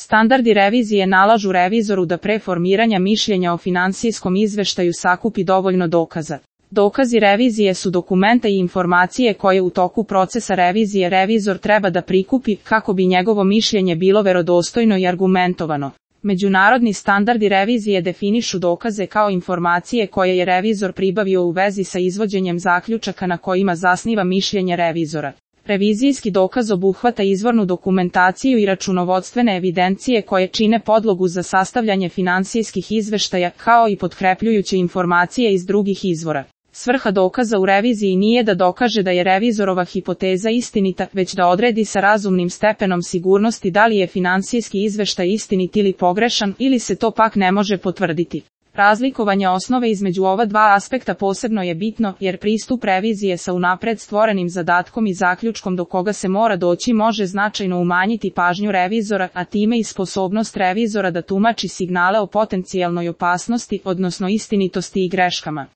Standardi revizije nalažu revizoru da pre formiranja mišljenja o finansijskom izveštaju sakupi dovoljno dokaza. Dokazi revizije su dokumenta i informacije koje u toku procesa revizije revizor treba da prikupi kako bi njegovo mišljenje bilo verodostojno i argumentovano. Međunarodni standardi revizije definišu dokaze kao informacije koje je revizor pribavio u vezi sa izvođenjem zaključaka na kojima zasniva mišljenje revizora. Revizijski dokaz obuhvata izvornu dokumentaciju i računovodstvene evidencije koje čine podlogu za sastavljanje finansijskih izveštaja, kao i potkrepljujuće informacije iz drugih izvora. Svrha dokaza u reviziji nije da dokaže da je revizorova hipoteza istinita, već da odredi sa razumnim stepenom sigurnosti da li je finansijski izveštaj istinit ili pogrešan, ili se to pak ne može potvrditi. Razlikovanje osnove između ova dva aspekta posebno je bitno, jer pristup revizije sa unapred stvorenim zadatkom i zaključkom do koga se mora doći može značajno umanjiti pažnju revizora, a time i sposobnost revizora da tumači signale o potencijalnoj opasnosti, odnosno istinitosti i greškama.